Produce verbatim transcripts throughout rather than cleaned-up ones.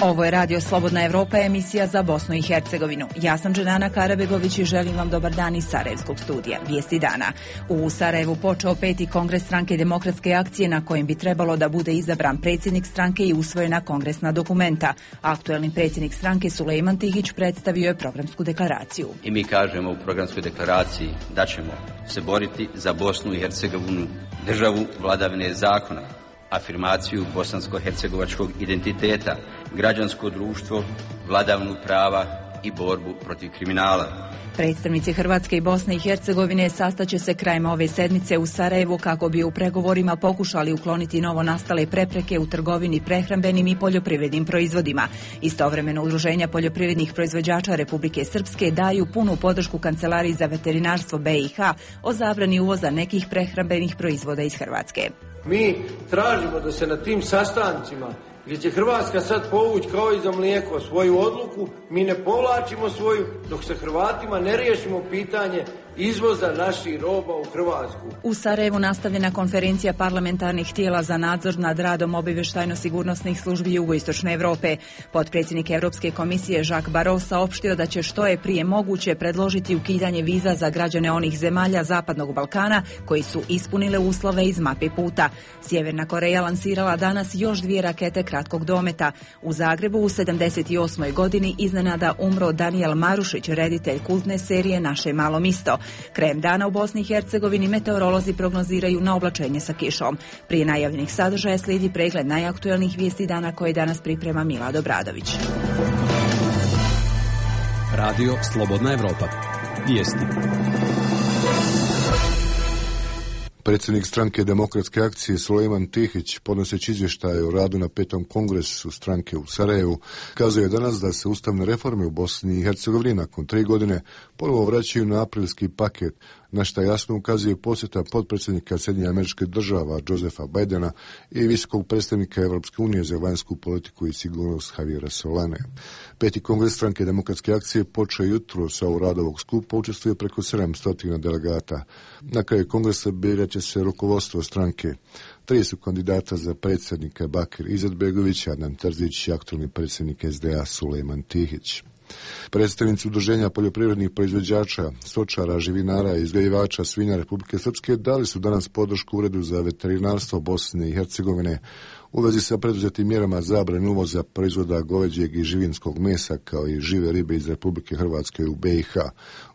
Ovo je Radio Slobodna Evropa, emisija za Bosnu i Hercegovinu. Ja sam Dženana Karabegović i želim vam dobar dan iz Sarajevskog studija. Vijesti dana. U Sarajevu počeo peti kongres stranke Demokratske akcije na kojem bi trebalo da bude izabran predsjednik stranke i usvojena kongresna dokumenta. Aktuelni predsjednik stranke Sulejman Tihić predstavio je programsku deklaraciju. I mi kažemo u programskoj deklaraciji da ćemo se boriti za Bosnu i Hercegovinu, državu vladavine zakona, afirmaciju bosansko-hercegovačkog identiteta, građansko društvo, vladavinu prava i borbu protiv kriminala. Predstavnici Hrvatske i Bosne i Hercegovine sastaće se krajem ove sedmice u Sarajevu kako bi u pregovorima pokušali ukloniti novo nastale prepreke u trgovini prehrambenim i poljoprivrednim proizvodima. Istovremeno udruženja poljoprivrednih proizvođača Republike Srpske daju punu podršku Kancelariji za veterinarstvo B i H o zabrani uvoza nekih prehrambenih proizvoda iz Hrvatske. Mi tražimo da se na tim sastancima gdje će Hrvatska sad povući kao i za mlijeko svoju odluku, mi ne povlačimo svoju dok se Hrvatima ne riješimo pitanje izvoza naših roba u Hrvatsku. U Sarajevu nastavljena konferencija parlamentarnih tijela za nadzor nad radom obavještajno-sigurnosnih službi Jugoistočne Evrope. Potpredsjednik Europske komisije Jacques Barrot saopštio da će što je prije moguće predložiti ukidanje viza za građane onih zemalja Zapadnog Balkana koji su ispunile uslove iz mape puta. Sjeverna Koreja lansirala danas još dvije rakete kratkog dometa. U Zagrebu u sedamdeset osmoj godini iznenada umro Danijel Marušić, reditelj kultne serije Naše malo misto. Krajem dana u Bosni i Hercegovini meteorolozi prognoziraju na oblačenje sa kišom. Prije najavljenih sadržaja slijedi pregled najaktuelnijih vijesti dana koje danas priprema Milad Obradović. Radio Slobodna Evropa. Vijesti. Predsjednik stranke Demokratske akcije Sulejman Tihić, podnoseći izvještaje o radu na petom kongresu stranke u Sarajevu, kazuje danas da se ustavne reforme u Bosni i Hercegovini nakon tri godine ponovo vraćaju na aprilski paket, na što jasno ukazuje posjeta potpredsjednika Sjedinjenih Američkih Država Josefa Bidena i visokog predstavnika Europske unije za vanjsku politiku i sigurnost Javiera Solane. Peti kongres stranke Demokratske akcije počeo jutro sa u radu ovog skupa, učestvuje preko sedamsto delegata. Na kraju kongresa birat će se rukovodstvo stranke. Tri su kandidata za predsjednika: Bakir Izetbegović, Adnan Terzić i aktualni predsjednik S D A Sulejman Tihić. Predstavnici udruženja poljoprivrednih proizvođača, stočara, živinara i uzgajivača svinja Republike Srpske dali su danas podršku Uredu za veterinarstvo Bosne i Hercegovine u vezi sa preduzetim mjerama zabrane uvoza proizvoda goveđeg i živinskog mesa kao i žive ribe iz Republike Hrvatske u B i H,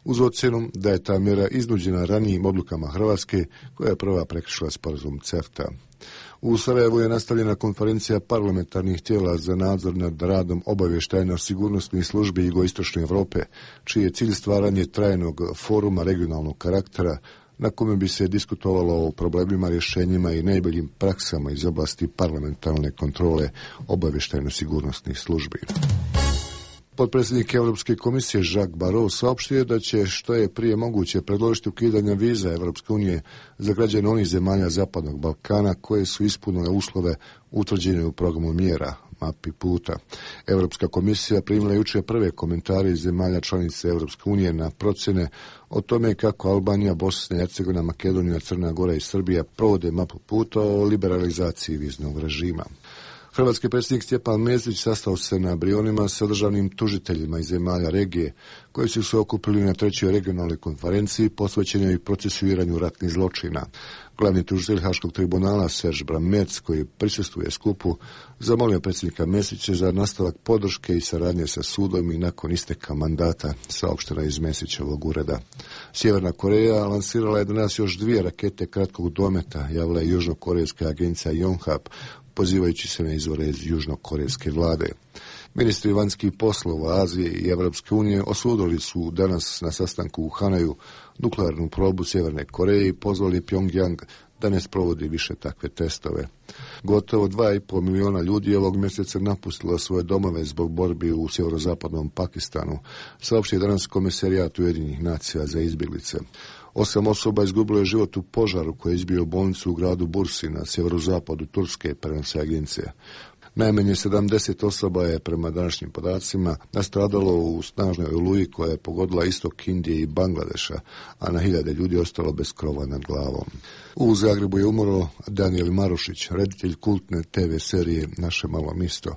uz ocjenu da je ta mjera iznuđena ranijim odlukama Hrvatske koja je prva prekršila sporazum CEFTA. U Sarajevu je nastavljena konferencija parlamentarnih tijela za nadzor nad radom obavještajno-sigurnosnih službi Jugoistočne Evrope, čiji je cilj stvaranje trajnog foruma regionalnog karaktera na kome bi se diskutovalo o problemima, rješenjima i najboljim praksama iz oblasti parlamentarne kontrole obavještajno-sigurnosnih službi. Potpredsjednik Europske komisije Jacques Barrot saopštio je da će što je prije moguće predložiti ukidanje viza Europske unije za građane onih zemalja Zapadnog Balkana koje su ispunile uslove utvrđene u programu mjera mapi puta. Europska komisija primila jučer prve komentare iz zemalja članica Europske unije na procjene o tome kako Albanija, Bosna i Hercegovina, Makedonija, Crna Gora i Srbija provode mapu puta o liberalizaciji viznog režima. Hrvatski predsjednik Stjepan Mesić sastao se na Brionima sa državnim tužiteljima iz zemalja regije koji su se okupili na trećoj regionalnoj konferenciji posvećenoj procesuiranju ratnih zločina. Glavni tužitelj Haškog tribunala Serge Brammertz, koji prisustvuje skupu, zamolio predsjednika Mesića za nastavak podrške i saradnje sa sudom i nakon isteka mandata, saopštena iz Mesićevog ureda. Sjeverna Koreja lansirala je danas još dvije rakete kratkog dometa, javila je južnokorejska agencija Yonhap, pozivajući se na izvore iz južnokorejske vlade. Ministri vanjskih poslova Azije i Evropske unije osudili su danas na sastanku u Hanaju nuklearnu probu Sjeverne Koreje i pozvali Pyongyang da ne sprovodi više takve testove. Gotovo dva i pol miliona ljudi ovog mjeseca napustilo svoje domove zbog borbi u sjeverozapadnom Pakistanu, saopštio danas Komesarijat Ujedinjenih nacija za izbjeglice. Osam osoba izgubilo je život u požaru koji je izbio bolnicu u gradu Bursi na sjeverozapadu Turske, prenose agencija. Najmanje sedamdeset osoba je prema današnjim podacima nastradalo u snažnoj oluji koja je pogodila istok Indije i Bangladeša, a na hiljade ljudi ostalo bez krova nad glavom. U Zagrebu je umro Danijel Marušić, reditelj kultne te ve serije Naše malo misto.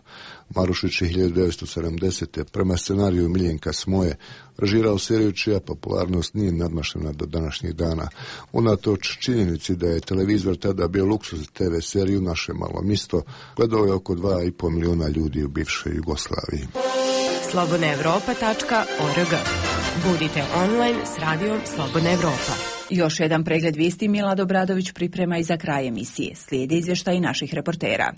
Marušić je hiljadu devetsto sedamdesete prema scenariju Miljenka Smoje režirao seriju čija popularnost nije nadmašena do današnjih dana. Unatoč činjenici da je televizor tada bio luksuz te ve seriju Naše malo misto, gledao je oko dva i pol miliona ljudi u bivšoj Jugoslaviji. slobodna evropa tačka org. Budite online s radijom Slobodna Evropa. Još jedan pregled vijesti Milad Obradović priprema i za kraj emisije. Slijedi izvještaj naših reportera.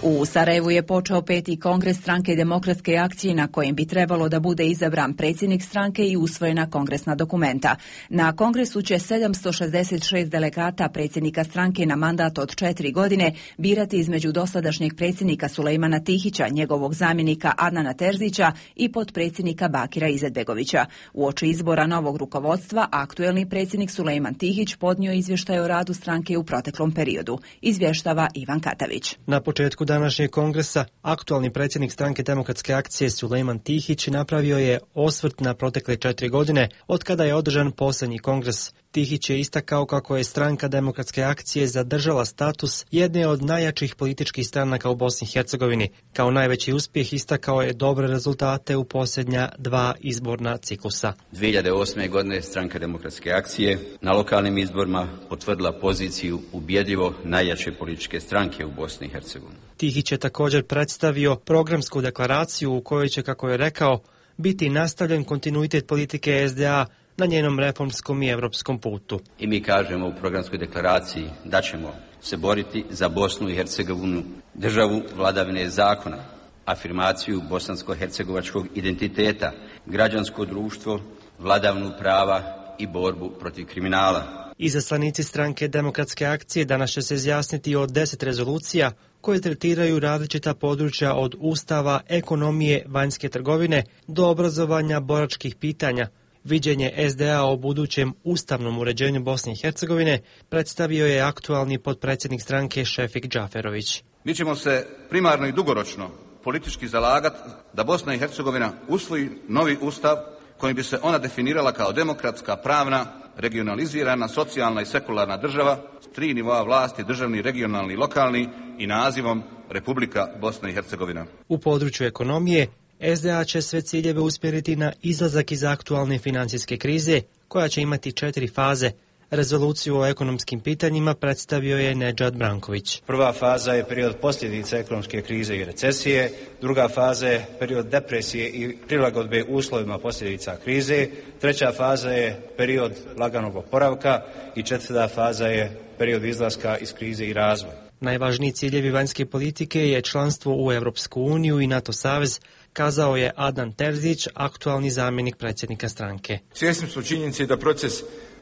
U Sarajevu je počeo peti kongres stranke Demokratske akcije na kojem bi trebalo da bude izabran predsjednik stranke i usvojena kongresna dokumenta. Na kongresu će sedamsto šezdeset šest delegata predsjednika stranke na mandat od četiri godine birati između dosadašnjeg predsjednika Sulejmana Tihića, njegovog zamjenika Adnana Terzića i potpredsjednika Bakira Izetbegovića. Uoči izbora novog rukovodstva, aktuelni predsjednik Sulejman Tihić podnio izvještaj o radu stranke u proteklom periodu. Izvještava Ivan Katavić. Na početku današnjeg kongresa aktualni predsjednik stranke Demokratske akcije Sulejman Tihić napravio je osvrt na protekle četiri godine od kada je održan posljednji kongres. Tihić je istakao kako je stranka Demokratske akcije zadržala status jedne od najjačih političkih stranaka u Bosni i Hercegovini. Kao najveći uspjeh istakao je dobre rezultate u posljednja dva izborna ciklusa. dvije hiljade osme. godine stranka Demokratske akcije na lokalnim izborima potvrdila poziciju ubjedljivo najjače političke stranke u Bosni i Hercegovini. Tihić je također predstavio programsku deklaraciju u kojoj će, kako je rekao, biti nastavljen kontinuitet politike es de a na njenom reformskom i evropskom putu. I mi kažemo u programskoj deklaraciji da ćemo se boriti za Bosnu i Hercegovinu, državu vladavine zakona, afirmaciju bosansko-hercegovačkog identiteta, građansko društvo, vladavinu prava i borbu protiv kriminala. Izaslanici stranke Demokratske akcije danas će se izjasniti o deset rezolucija koje tretiraju različita područja od ustava, ekonomije, vanjske trgovine do obrazovanja, boračkih pitanja. Viđenje es de a o budućem ustavnom uređenju Bosne i Hercegovine predstavio je aktualni potpredsjednik stranke Šefik Džaferović. Mi ćemo se primarno i dugoročno politički zalagati da Bosna i Hercegovina usvoji novi ustav kojim bi se ona definirala kao demokratska, pravna, regionalizirana, socijalna i sekularna država s tri nivoa vlasti, državni, regionalni i lokalni i nazivom Republika Bosna i Hercegovina. U području ekonomije es de a će sve ciljeve usmjeriti na izlazak iz aktualne financijske krize, koja će imati četiri faze. Rezoluciju o ekonomskim pitanjima predstavio je Nedžad Branković. Prva faza je period posljedica ekonomske krize i recesije, druga faza je period depresije i prilagodbe uslovima posljedica krize, treća faza je period laganog oporavka i četvrta faza je period izlaska iz krize i razvoja. Najvažniji ciljevi vanjske politike je članstvo u Europsku uniju i NATO savez, kazao je Adnan Terzić, aktualni zamjenik predsjednika stranke. Svjesni smo činjenice da proces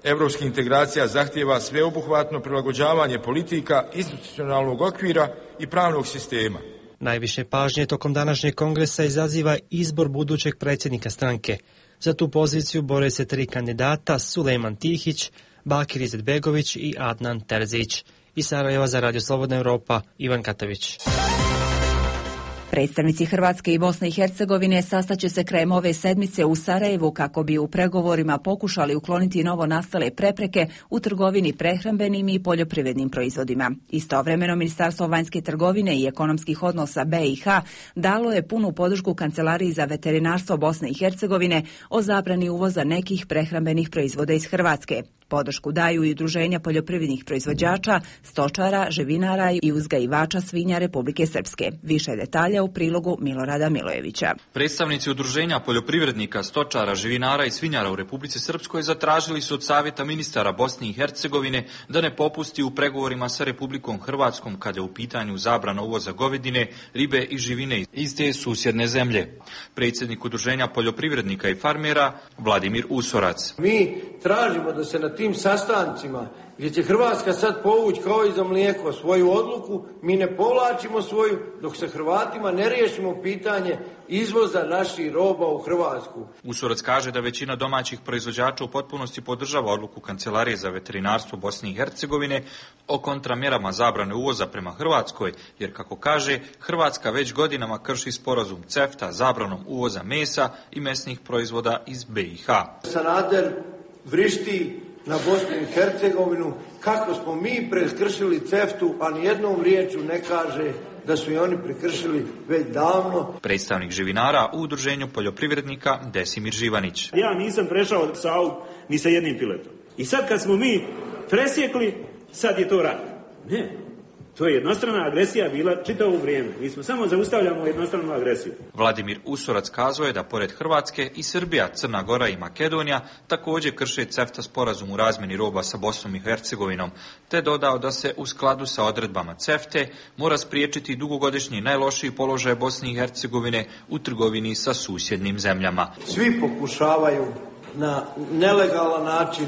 europskih integracija zahtijeva sveobuhvatno prilagođavanje politika, institucionalnog okvira i pravnog sistema. Najviše pažnje tokom današnjeg kongresa izaziva izbor budućeg predsjednika stranke. Za tu poziciju bore se tri kandidata: Sulejman Tihić, Bakir Izetbegović i Adnan Terzić. Iz Sarajeva za Radio Slobodna Evropa, Ivan Katavić. Predstavnici Hrvatske i Bosne i Hercegovine sastaće se krajem ove sedmice u Sarajevu kako bi u pregovorima pokušali ukloniti novo nastale prepreke u trgovini prehrambenim i poljoprivrednim proizvodima. Istovremeno, Ministarstvo vanjske trgovine i ekonomskih odnosa be i ha dalo je punu podršku Kancelariji za veterinarstvo Bosne i Hercegovine o zabrani uvoza nekih prehrambenih proizvoda iz Hrvatske. Podršku daju i udruženja poljoprivrednih proizvođača, stočara, živinara i uzgajivača svinja Republike Srpske. Više detalja u prilogu Milorada Milojevića. Predstavnici udruženja poljoprivrednika, stočara, živinara i svinjara u Republici Srpskoj zatražili su od Savjeta ministara Bosne i Hercegovine da ne popusti u pregovorima sa Republikom Hrvatskom kada je u pitanju zabrana uvoza govedine, ribe i živine iz te susjedne zemlje. Predsjednik udruženja poljoprivrednika i farmera Vladimir Usorac. Mi tražimo da se na na tim sastancima gdje će Hrvatska sad povući kao i za mlijeko svoju odluku, mi ne povlačimo svoju dok se Hrvatima ne riješimo pitanje izvoza naših roba u Hrvatsku. Usorac kaže da većina domaćih proizvođača u potpunosti podržava odluku Kancelarije za veterinarstvo Bosne i Hercegovine o kontramjerama zabrane uvoza prema Hrvatskoj, jer kako kaže, Hrvatska već godinama krši sporazum CEFTA zabranom uvoza mesa i mesnih proizvoda iz B i H. Sanader vrišti na Bosnu i Hercegovinu kako smo mi prekršili CEFTA-u, a nijednom riječju ne kaže da su i oni prekršili već davno. Predstavnik živinara u udruženju poljoprivrednika Desimir Živanić. Ja nisam prešao Savu ni sa jednim piletom. I sad kad smo mi presjekli, sad je to rat. Ne. To je jednostrana agresija bila čitavo vrijeme. Mi smo samo zaustavljamo jednostranu agresiju. Vladimir Usorac kazao je da pored Hrvatske i Srbija, Crna Gora i Makedonija također krše CEFTA sporazum u razmjeni roba sa Bosnom i Hercegovinom, te dodao da se u skladu sa odredbama CEFTA mora spriječiti dugogodišnji najlošiji položaj Bosne i Hercegovine u trgovini sa susjednim zemljama. Svi pokušavaju na nelegalan način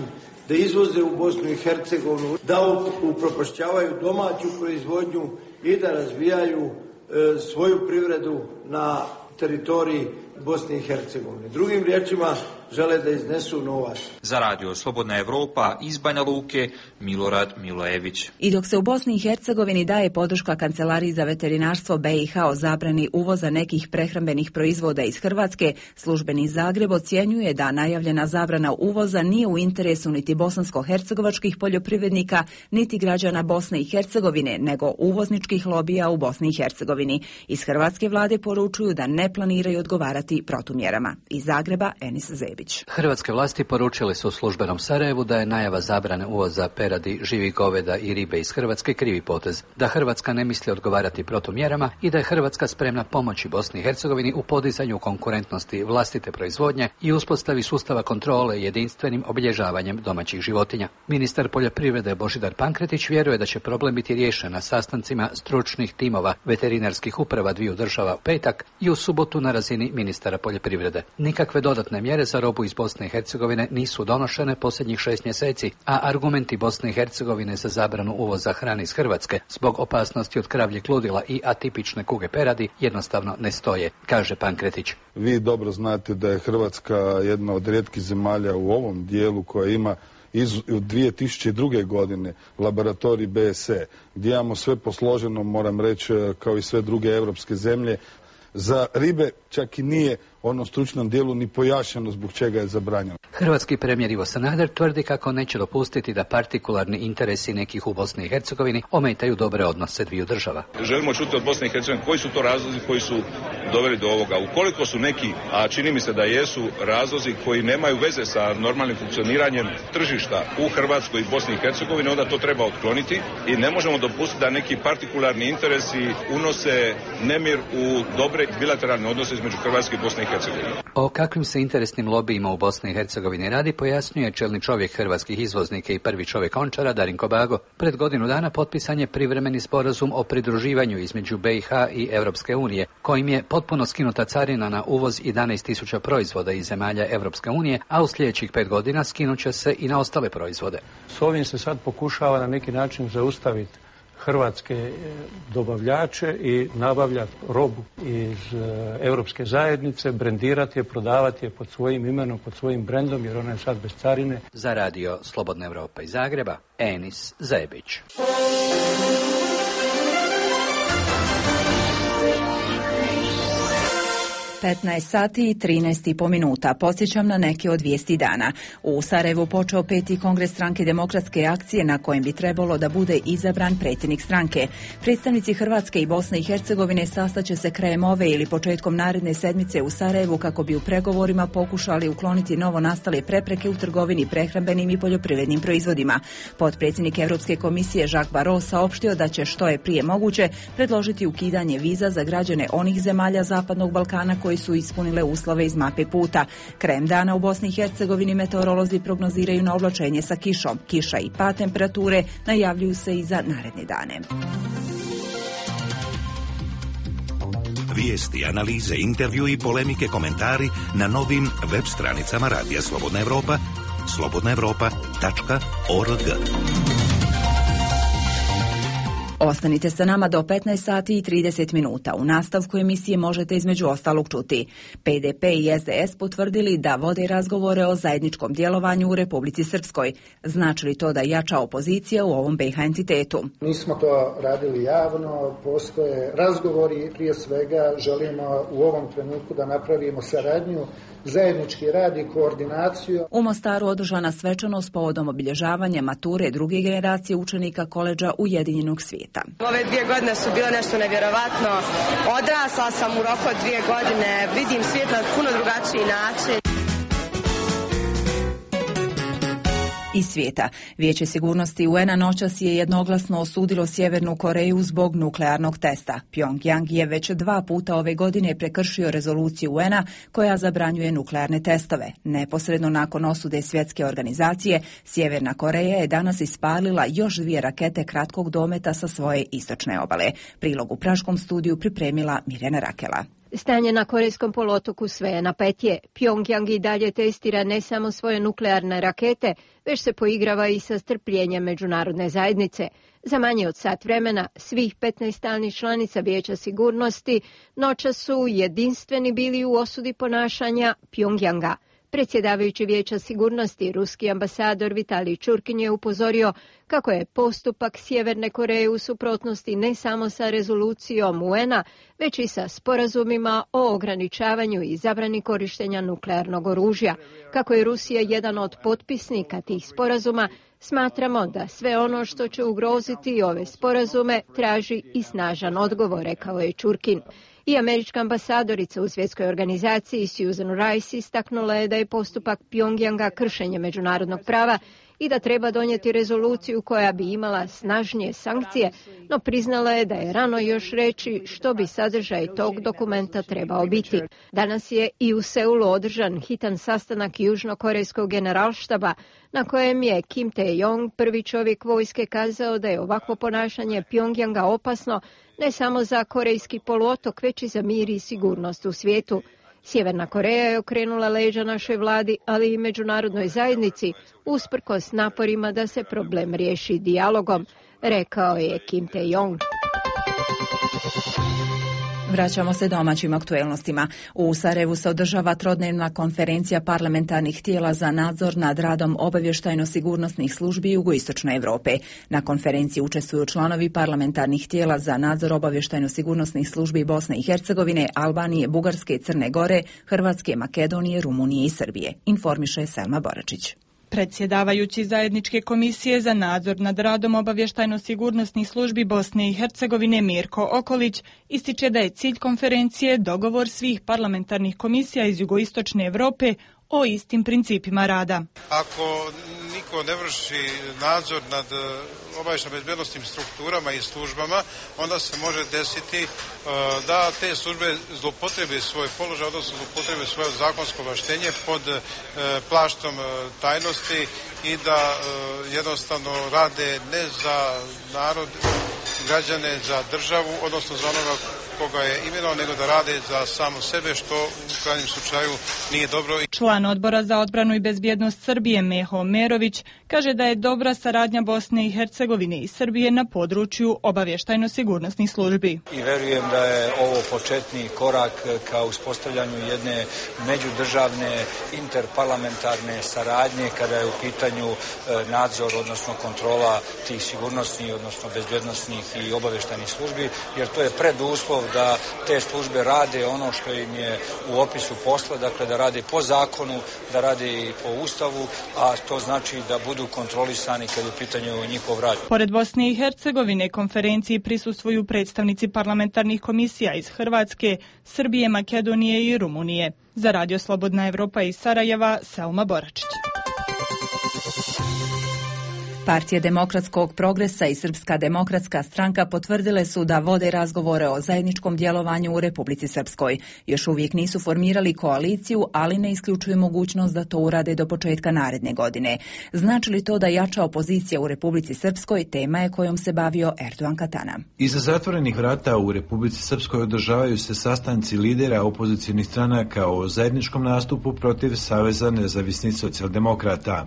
da izvoze u Bosnu i Hercegovinu, da upropašćavaju domaću proizvodnju i da razvijaju e, svoju privredu na teritoriji Bosne i Hercegovine. Drugim riječima, žele da iznesu novac. Za radio Slobodna Evropa iz Banja Luke, Milorad Milojević. I dok se u Bosni i Hercegovini daje podrška Kancelariji za veterinarstvo B i H o zabrani uvoza nekih prehrambenih proizvoda iz Hrvatske, službeni Zagreb ocjenjuje da najavljena zabrana uvoza nije u interesu niti bosansko-hercegovačkih poljoprivrednika, niti građana Bosne i Hercegovine, nego uvozničkih lobija u Bosni i Hercegovini. Iz hrvatske vlade poručuju da ne planiraju odgovarati protumjerama. Iz Zagreba, Enis Zebić. Hrvatske vlasti poručile su u službenom Sarajevu da je najava zabrane uvoza peradi, živih goveda i ribe iz Hrvatske krivi potez, da Hrvatska ne misli odgovarati protumjerama i da je Hrvatska spremna pomoći Bosni i Hercegovini u podizanju konkurentnosti vlastite proizvodnje i uspostavi sustava kontrole jedinstvenim obilježavanjem domaćih životinja. Ministar poljoprivrede Božidar Pankretić vjeruje da će problem biti riješen na sastancima stručnih timova veterinarskih uprava dviju država u petak i u subotu na razini ministara poljoprivrede. Nikakve dodatne mjere za robu iz Bosne i Hercegovine nisu donošene posljednjih šest mjeseci, a argumenti Bosne i Hercegovine za zabranu uvoza hrane iz Hrvatske zbog opasnosti od kravljeg ludila i atipične kuge peradi jednostavno ne stoje, kaže Pankretić. Vi dobro znate da je Hrvatska jedna od rijetkih zemalja u ovom dijelu koja ima iz dvije tisuće druge. godine laboratorij B S E, gdje imamo sve posloženo, moram reći, kao i sve druge europske zemlje. Za ribe čak i nije onom stručnom dijelu ni pojašnjeno zbog čega je zabranjeno. Hrvatski premijer Ivo Sanader tvrdi kako neće dopustiti da partikularni interesi nekih u Bosni i Hercegovini ometaju dobre odnose dviju država. Želimo čuti od Bosne i Hercegovine koji su to razlozi koji su doveli do ovoga. Ukoliko su neki, a čini mi se da jesu, razlozi koji nemaju veze sa normalnim funkcioniranjem tržišta u Hrvatskoj i Bosni i Hercegovini, onda to treba otkloniti i ne možemo dopustiti da neki partikularni interesi unose nemir u dobre bilateralne odnose između Hrvatske i Bosne i Hercegovine. O kakvim se interesnim lobijima u Bosni i Hercegovini radi pojasnjuje čelni čovjek hrvatskih izvoznika i prvi čovjek Ončara Darinko Bago. Pred godinu dana potpisan je privremeni sporazum o pridruživanju između B i H i Europske unije, kojim je potpuno skinuta carina na uvoz jedanaest tisuća proizvoda iz zemalja Europske unije, a u sljedećih pet godina skinut će se i na ostale proizvode. S ovim se sad pokušava na neki način zaustaviti hrvatske dobavljače i nabavljati robu iz Europske zajednice, brendirati je, prodavati je pod svojim imenom, pod svojim brendom, jer ona je sad bez carine. Za radio Slobodna Evropa iz Zagreba, Enis Zebić. petnaest sati i trinaest i po minuta. Podsjećam na neke od vijesti dana. U Sarajevu počeo peti kongres stranke Demokratske akcije na kojem bi trebalo da bude izabran predsjednik stranke. Predstavnici Hrvatske i Bosne i Hercegovine sastaće se krajem ove ili početkom naredne sedmice u Sarajevu kako bi u pregovorima pokušali ukloniti novo nastale prepreke u trgovini prehrambenim i poljoprivrednim proizvodima. Potpredsjednik Europske komisije Jacques Barrot saopštio da će što je prije moguće predložiti ukidanje viza za građane onih zemalja Zapadnog Balkana koji su ispunile uslove iz mape puta. Krajem dana u Bosni i Hercegovini meteorolozi prognoziraju na oblačenje sa kišom. Kiša i pad temperature najavljuju se i za naredne dane. Vijesti, analize, intervju i polemike, komentari na novim web stranicama Radija Slobodna Evropa slobodna evropa tačka org. Ostanite sa nama do petnaest sati i trideset minuta. U nastavku emisije možete između ostalog čuti. P D P i S D S potvrdili da vode razgovore o zajedničkom djelovanju u Republici Srpskoj. Znači li to da jača opozicija u ovom B iH entitetu? Mi smo to radili javno, postoje razgovori, prije svega želimo u ovom trenutku da napravimo saradnju, zajednički rad i koordinaciju. U Mostaru održana svečanost povodom obilježavanja mature druge generacije učenika koledža Ujedinjenog svijeta. Ove dvije godine su bile nešto nevjerovatno. Odrasla sam u roku od dvije godine, vidim svijet na puno drugačiji način. Iz svijeta. Vijeće sigurnosti U N A noćas je jednoglasno osudilo Sjevernu Koreju zbog nuklearnog testa. Pyongyang je već dva puta ove godine prekršio rezoluciju U N A koja zabranjuje nuklearne testove. Neposredno nakon osude svjetske organizacije, Sjeverna Koreja je danas ispalila još dvije rakete kratkog dometa sa svoje istočne obale. Prilog u praškom studiju pripremila Mirjana Rakela. Stanje na Korejskom poluotoku sve je napetije. Pyongyang i dalje testira ne samo svoje nuklearne rakete, već se poigrava i sa strpljenjem međunarodne zajednice. Za manje od sat vremena svih petnaest stalnih članica Vijeća sigurnosti noćas su jedinstveni bili u osudi ponašanja Pyongyanga. Predsjedavajući Vijeća sigurnosti, ruski ambasador Vitalij Čurkin je upozorio kako je postupak Sjeverne Koreje u suprotnosti ne samo sa rezolucijom U N A, već i sa sporazumima o ograničavanju i zabrani korištenja nuklearnog oružja. Kako je Rusija jedan od potpisnika tih sporazuma, smatramo da sve ono što će ugroziti ove sporazume traži i snažan odgovor, rekao je Čurkin. I američka ambasadorica u svjetskoj organizaciji Susan Rice istaknula je da je postupak Pyongyanga kršenje međunarodnog prava i da treba donijeti rezoluciju koja bi imala snažnije sankcije, no priznala je da je rano još reći što bi sadržaj tog dokumenta trebao biti. Danas je i u Seulu održan hitan sastanak južnokorejskog generalštaba na kojem je Kim Tae-yong, prvi čovjek vojske, kazao da je ovakvo ponašanje Pyongyanga opasno ne samo za korejski poluotok, već i za mir i sigurnost u svijetu. Sjeverna Koreja je okrenula leđa našoj vladi, ali i međunarodnoj zajednici, usprkos naporima da se problem riješi dijalogom, rekao je Kim Tae-yong. Vraćamo se domaćim aktuelnostima. U Sarajevu se održava trodnevna konferencija parlamentarnih tijela za nadzor nad radom obavještajno-sigurnosnih službi jugoistočne Europe. Na konferenciji učestvuju članovi parlamentarnih tijela za nadzor obavještajno-sigurnosnih službi Bosne i Hercegovine, Albanije, Bugarske i Crne Gore, Hrvatske, Makedonije, Rumunije i Srbije. Informiše Selma Boračić. Predsjedavajući zajedničke komisije za nadzor nad radom obavještajno-sigurnosnih službi Bosne i Hercegovine Mirko Okolić ističe da je cilj konferencije dogovor svih parlamentarnih komisija iz jugoistočne Europe o istim principima rada. Ako niko ne vrši nadzor nad obavještajno-bezbednosnim strukturama i službama, onda se može desiti da te službe zloupotrebe svoj položaj, odnosno zloupotrebe svoje zakonsko ovlaštenje pod plaštom tajnosti i da jednostavno rade ne za narod, građane, za državu, odnosno za onoga koga je imenovao, nego da rade za samo sebe, što u krajnjem slučaju nije dobro. Član odbora za odbranu i bezbjednost Srbije Meho Merović kaže da je dobra saradnja Bosne i Hercegovine i Srbije na području obavještajno-sigurnosnih službi. I verujem da je ovo početni korak ka uspostavljanju jedne međudržavne interparlamentarne saradnje kada je u pitanju nadzor, odnosno kontrola tih sigurnosnih, odnosno bezbjednosnih i obavještajnih službi, jer to je preduslov da te službe rade ono što im je u opisu posla, dakle da rade po zakonu, da rade i po ustavu, a to znači da budu kontrolisani kad je u pitanju njihov rad. Pored Bosne i Hercegovine konferenciji prisustvuju predstavnici parlamentarnih komisija iz Hrvatske, Srbije, Makedonije i Rumunije. Za Radio Slobodna Evropa iz Sarajeva, Selma Boračić. Partija demokratskog progresa i Srpska demokratska stranka potvrdile su da vode razgovore o zajedničkom djelovanju u Republici Srpskoj. Još uvijek nisu formirali koaliciju, ali ne isključuju mogućnost da to urade do početka naredne godine. Znači li to da jača opozicija u Republici Srpskoj, tema je kojom se bavio Erdogan Katana. Iza zatvorenih vrata u Republici Srpskoj održavaju se sastanci lidera opozicijnih stranaka o zajedničkom nastupu protiv Saveza nezavisnih socijaldemokrata.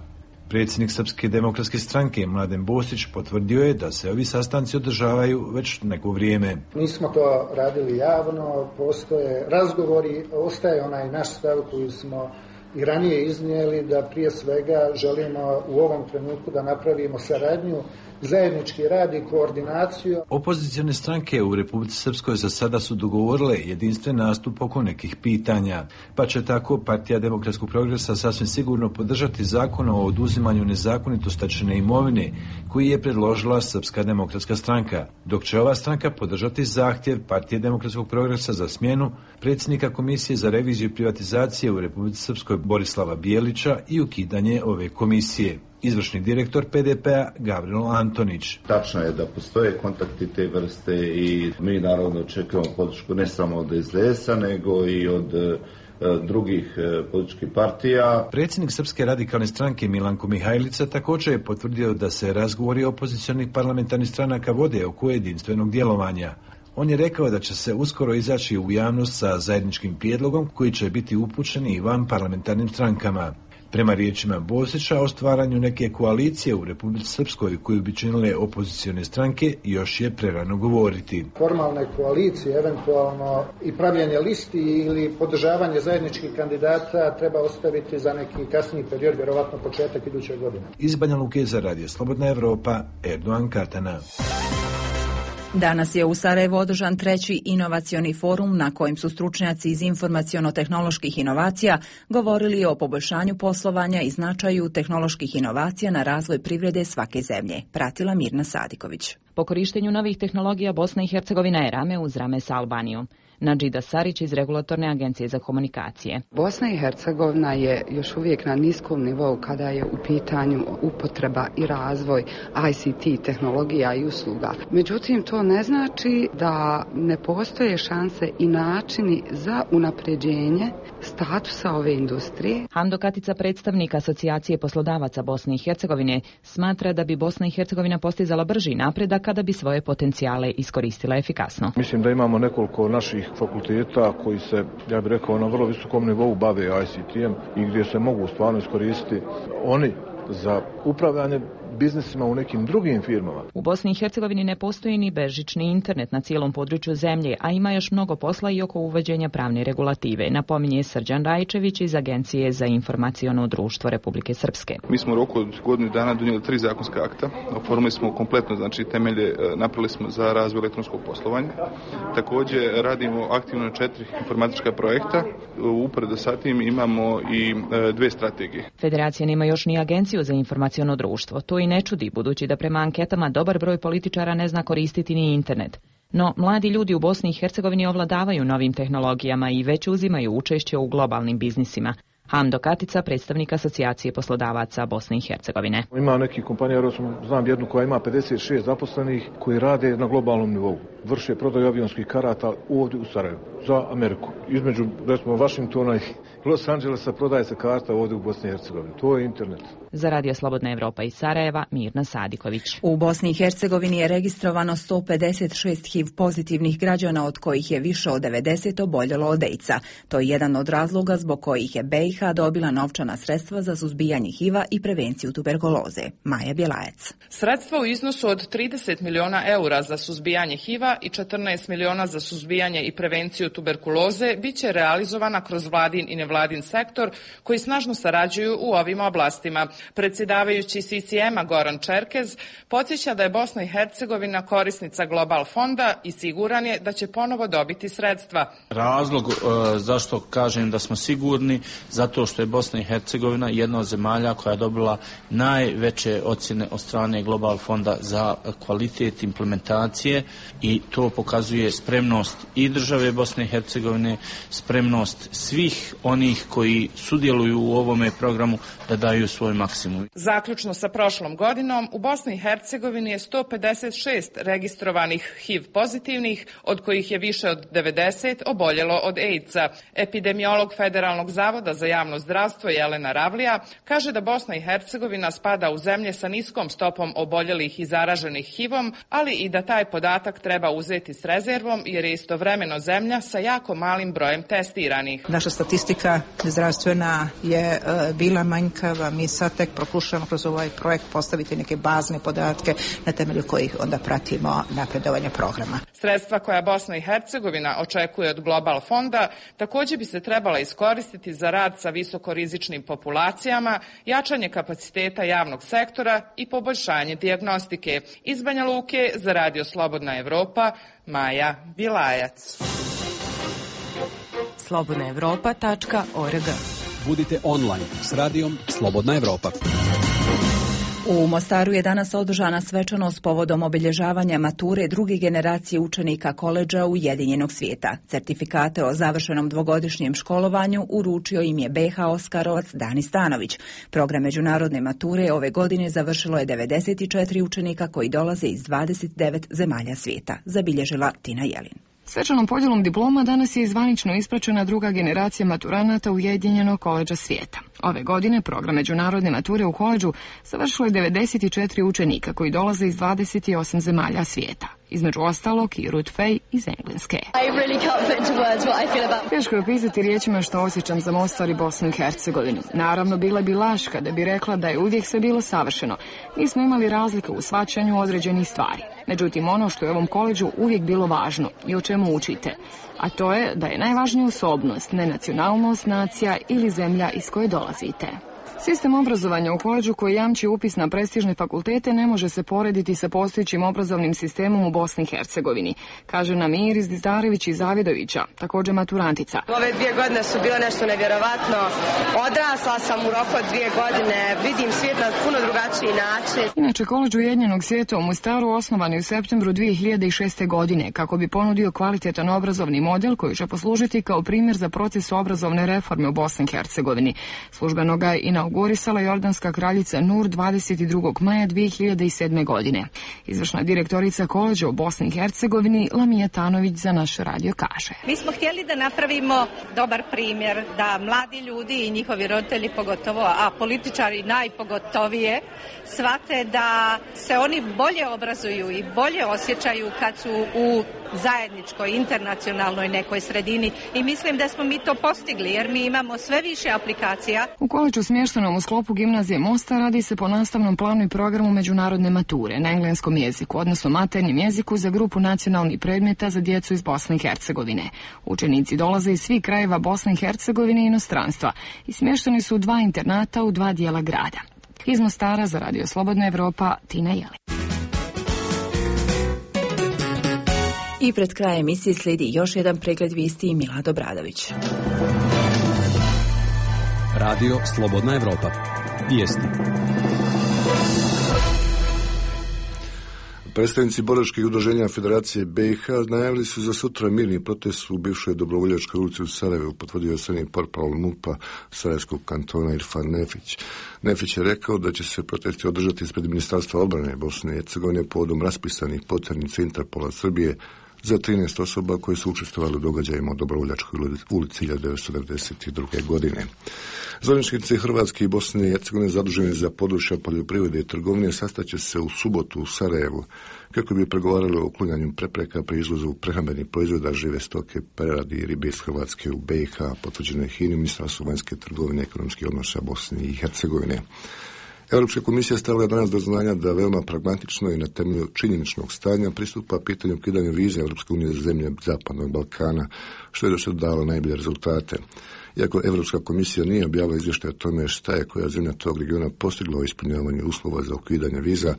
Predsjednik Srpske demokratske stranke Mladen Bosić potvrdio je da se ovi sastanci održavaju već neko vrijeme. Mi smo to radili javno, postoje razgovori, ostaje onaj naš stav koji smo i ranije iznijeli da prije svega želimo u ovom trenutku da napravimo saradnju, zajednički rad i koordinaciju. Opozicione stranke u Republici Srpskoj za sada su dogovorile jedinstven nastup oko nekih pitanja, pa će tako Partija demokratskog progresa sasvim sigurno podržati zakon o oduzimanju nezakonito stečene imovine koji je predložila Srpska demokratska stranka, dok će ova stranka podržati zahtjev Partije demokratskog progresa za smjenu predsjednika Komisije za reviziju privatizacije u Republici Srpskoj Borislava Bijelića i ukidanje ove komisije. Izvršni direktor P D P-a Gavrilo Antonić. Tačno je da postoje kontakti te vrste i mi naravno očekujemo podršku ne samo od S D S-a nego i od e, drugih e, političkih partija. Predsjednik Srpske radikalne stranke Milanko Mihajlica također je potvrdio da se razgovori opozicionih parlamentarnih stranaka vode oko jedinstvenog djelovanja. On je rekao da će se uskoro izaći u javnost sa zajedničkim prijedlogom koji će biti upućeni i van parlamentarnim strankama. Prema riječima Bosića, o stvaranju neke koalicije u Republici Srpskoj koju bi činile opozicione stranke još je prerano govoriti. Formalne koalicije, eventualno i pravljenje listi ili podržavanje zajedničkih kandidata treba ostaviti za neki kasniji period, vjerovatno početak iduće godine. Iz Banja Luke za Radio Slobodna Evropa, Erdogan Katana. Danas je u Sarajevu održan treći inovacioni forum na kojem su stručnjaci iz informaciono-tehnoloških inovacija govorili o poboljšanju poslovanja i značaju tehnoloških inovacija na razvoj privrede svake zemlje. Pratila Mirna Sadiković. Po korištenju novih tehnologija Bosna i Hercegovina je rame uz rame sa Albanijom. Nadžida Sarić iz Regulatorne agencije za komunikacije. Bosna i Hercegovina je još uvijek na niskom nivou kada je u pitanju upotreba i razvoj I C T tehnologija i usluga. Međutim, to ne znači da ne postoje šanse i načini za unapređenje statusa ove industrije. Hando Katica, predstavnik Asocijacije poslodavaca Bosne i Hercegovine, smatra da bi Bosna i Hercegovina postizala brži napredak kada bi svoje potencijale iskoristila efikasno. Mislim da imamo nekoliko naših fakulteta koji se, ja bih rekao, na vrlo visokom nivou bave I C T-em i gdje se mogu stvarno iskoristiti oni za upravljanje biznisima u nekim drugim firmama. U Bosni i Hercegovini ne postoji ni bežični internet na cijelom području zemlje, a ima još mnogo posla i oko uvođenja pravne regulative, napominje Srđan Rajčević iz Agencije za informaciono društvo Republike Srpske. Mi smo u roku od godinu dana donijeli tri zakonska akta, oformili smo kompletno, znači temelje napravili smo za razvoj elektronskog poslovanja. Također radimo aktivno na četiri informatička projekta. Uporedo sa tim imamo i dve strategije. Federacija nema još ni Agenciju za informaciono društvo. To i ne čudi, budući da prema anketama dobar broj političara ne zna koristiti ni internet. No, mladi ljudi u Bosni i Hercegovini ovladavaju novim tehnologijama i već uzimaju učešće u globalnim biznisima. Hando Katica, predstavnik Asocijacije poslodavaca Bosne i Hercegovine. Ima neki kompanija, znam jednu koja ima pedeset šest zaposlenih koji rade na globalnom nivou. Vrše prodaju avionskih karata ovdje u Sarajevu za Ameriku. Između, recimo, Washingtona i Los Angelesa prodaje se karta ovdje u Bosni i Hercegovini. To je internet. Za Radio Slobodna Evropa iz Sarajeva, Mirna Sadiković. U Bosni i Hercegovini je registrovano sto pedeset šest H I V pozitivnih građana, od kojih je više od devedeset oboljelo od AIDS-a. To je jedan od razloga zbog kojih je B i H dobila novčana sredstva za suzbijanje H I V-a i prevenciju tuberkuloze. Maja Bjelajac. Sredstva u iznosu od trideset miliona eura za suzbijanje H I V-a i četrnaest miliona za suzbijanje i prevenciju tuberkuloze biće realizovana kroz vladin i nevladin sektor koji snažno sarađuju u ovim oblastima. Predsjedavajući C C M-a Goran Čerkez podsjeća da je Bosna i Hercegovina korisnica Global fonda i siguran je da će ponovo dobiti sredstva. Razlog uh, zašto kažem da smo sigurni, zato što je Bosna i Hercegovina jedna od zemalja koja je dobila najveće ocjene od strane Global fonda za kvalitet implementacije i to pokazuje spremnost i države Bosne i Hercegovine, spremnost svih onih koji sudjeluju u ovome programu da daju svoj maksimum. Zaključno sa prošlom godinom, u Bosni i Hercegovini je sto pedeset šest registrovanih H I V pozitivnih, od kojih je više od devedeset oboljelo od AIDS-a. Epidemiolog Federalnog zavoda za javno zdravstvo Jelena Ravlija kaže da Bosna i Hercegovina spada u zemlje sa niskom stopom oboljelih i zaraženih H I V-om, ali i da taj podatak treba treba uzeti s rezervom jer je istovremeno zemlja sa jako malim brojem testiranih. Naša statistika zdravstvena je e, bila manjkava, mi sad tek pokušamo kroz ovaj projekt postaviti neke bazne podatke na temelju kojih onda pratimo napredovanje programa. Sredstva koja Bosna i Hercegovina očekuje od Global fonda također bi se trebala iskoristiti za rad sa visokorizičnim populacijama, jačanje kapaciteta javnog sektora i poboljšanje dijagnostike. Iz Banja Luke za Radio Slobodna Evropa, Maja Bilajac. slobodna evropa tačka org. Budite online s radijom Slobodna Evropa. U Mostaru je danas održana svečanost povodom obilježavanja mature druge generacije učenika koledža Ujedinjenog svijeta. Certifikate o završenom dvogodišnjem školovanju uručio im je B H Oskarovac Dani Stanović. Program međunarodne mature ove godine završilo je devedeset četiri učenika koji dolaze iz dvadeset devet zemalja svijeta, zabilježila Tina Jelin. Svečanom podjelom diploma danas je zvanično ispraćena druga generacija maturanata Ujedinjenog koledža svijeta. Ove godine program međunarodne mature u koledžu završilo je devedeset četiri učenika koji dolaze iz dvadeset osam zemalja svijeta. Između ostalog i Ruth Fay iz Engleske. Teško je opisati riječima što osjećam za Mostar i Bosnu i Hercegovinu. Naravno, bila bi laž kada bi rekla da je uvijek sve bilo savršeno. Nismo imali razlike u shvaćanju određenih stvari. Međutim, ono što je u ovom koledžu uvijek bilo važno i o čemu učite, a to je da je najvažnija osobnost, ne nacionalnost, nacija ili zemlja iz koje dolazite. Sistem obrazovanja u koledžu koji jamči upis na prestižne fakultete ne može se porediti sa postojećim obrazovnim sistemom u Bosni i Hercegovini, kaže nam Iris Dizdarević iz Zavidovića, također maturantica. Ove dvije godine su bile nešto nevjerovatno. Odrasla sam u roku od dvije godine, vidim svijet na puno drugačiji način. Inače, koledž Ujedinjenog svijeta u Mostaru osnovan je u septembru dvije hiljade šeste. godine kako bi ponudio kvalitetan obrazovni model koji će poslužiti kao primjer za proces obrazovne reforme u Bosni i Hercegovini. Službeno ga je inaugurisala jordanska kraljica Nur dvadeset drugog maja dvije hiljade sedme. godine. Izvršna direktorica koledža u Bosni i Hercegovini Lamija Tanović za naš radio kaže. Mi smo htjeli da napravimo dobar primjer, da mladi ljudi i njihovi roditelji pogotovo, a političari najpogotovije, shvate da se oni bolje obrazuju i bolje osjećaju kad su u zajedničkoj, internacionalnoj nekoj sredini i mislim da smo mi to postigli jer mi imamo sve više aplikacija. U koledžu smještenom u sklopu gimnazije Mostar radi se po nastavnom planu i programu međunarodne mature na engleskom jeziku, odnosno maternjem jeziku za grupu nacionalnih predmeta za djecu iz Bosne i Hercegovine. Učenici dolaze iz svih krajeva Bosne i Hercegovine i inostranstva i smješteni su u dva internata u dva dijela grada. Iz Mostara za Radio Slobodna Evropa, Tina Jelin. I pred krajem emisije slijedi još jedan pregled vijesti i Milad Obradović. Radio Slobodna Evropa. Vijesti. Predstavnici boračkih udruženja Federacije B i H najavili su za sutra mirni protest u bivšoj Dobrovoljačkoj ulici u Sarajevu, potvrdio je srednji portparol MUP-a Sarajevskog kantona Irfan Nefić. Nefić je rekao da će se protesti održati ispred Ministarstva obrane Bosne i Hercegovine povodom raspisanih poternica Interpola Srbije za trinaest osoba koje su učestvovali u događajima u Dobrovoljačkoj ulici hiljadu devetsto devedeset druge. godine. Zvaničnici Hrvatske i Bosne i Hercegovine zaduženi za područja poljoprivrede i trgovine sastaće se u subotu u Sarajevu kako bi pregovarali o uklanjanju prepreka pri izvozu prehrambenih proizvoda, žive stoke, preradi i ribe iz Hrvatske u B i H, potvrđeno je Hini, Ministarstvo vanjske trgovine i ekonomskih odnosa Bosne i Hercegovine. Europska komisija stavila danas do znanja da veoma pragmatično i na temelju činjeničnog stanja pristupa pitanju ukidanja vize Europske unije za zemlje Zapadnog Balkana, što je do sada dalo najbolje rezultate. Iako Europska komisija nije objavila izvještaj o tome šta je koja zemlja tog regiona postigla u ispunjavanju uslova za ukidanje viza,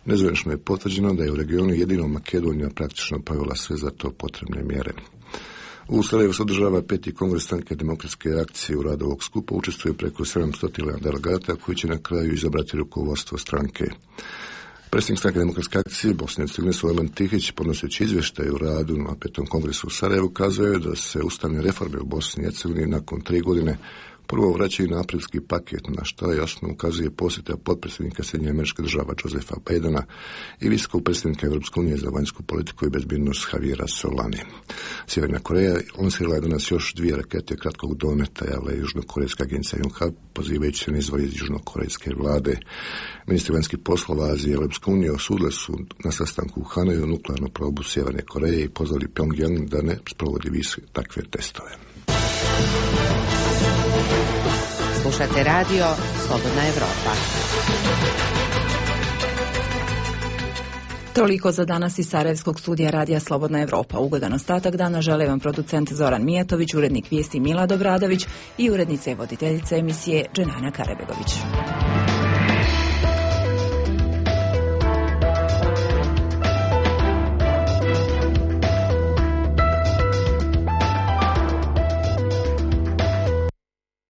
nezvanično je potvrđeno da je u regionu jedino Makedonija praktično provela sve za to potrebne mjere. U Sarajevu se održava peti kongres stranke Demokratske akcije. U radu ovog skupa učestvuje preko sedamsto delegata koji će na kraju izabrati rukovodstvo stranke. Predsjednik stranke Demokratske akcije Bosne i Hercegovine Sulejman Tihić, podnoseći izvještaj u radu na petom kongresu u Sarajevu, kazao je da se ustavne reforme u Bosni i Hercegovini nakon tri godine Prvo vraćaju na aprilski paket, na što jasno ukazuje posjeta potpredsjednika Sjedinjenih Američkih Država Josepha Bidena i visokog predsjednika Europske unije za vanjsku politiku i bezbednost Javiera Solane. Sjeverna Koreja lansirala je danas još dvije rakete kratkog dometa, javila je južnokorejska agencija Yonhap, pozivajući se na izvor iz južnokorejske vlade. Ministri vanjskih poslova Azije i Europske unije osudili su na sastanku u Hanoju nuklearnu probu Sjeverne Koreje i pozvali Pyongyang da ne sprovodi više takve testove. Slušate radio Slobodna Evropa. Toliko za danas iz Sarajevskog studija radija Slobodna Evropa. Ugodan ostatak dana žele vam producent Zoran Mijatović, urednik vijesti Milad Obradović i urednica i voditeljica emisije Dženana Karebegović.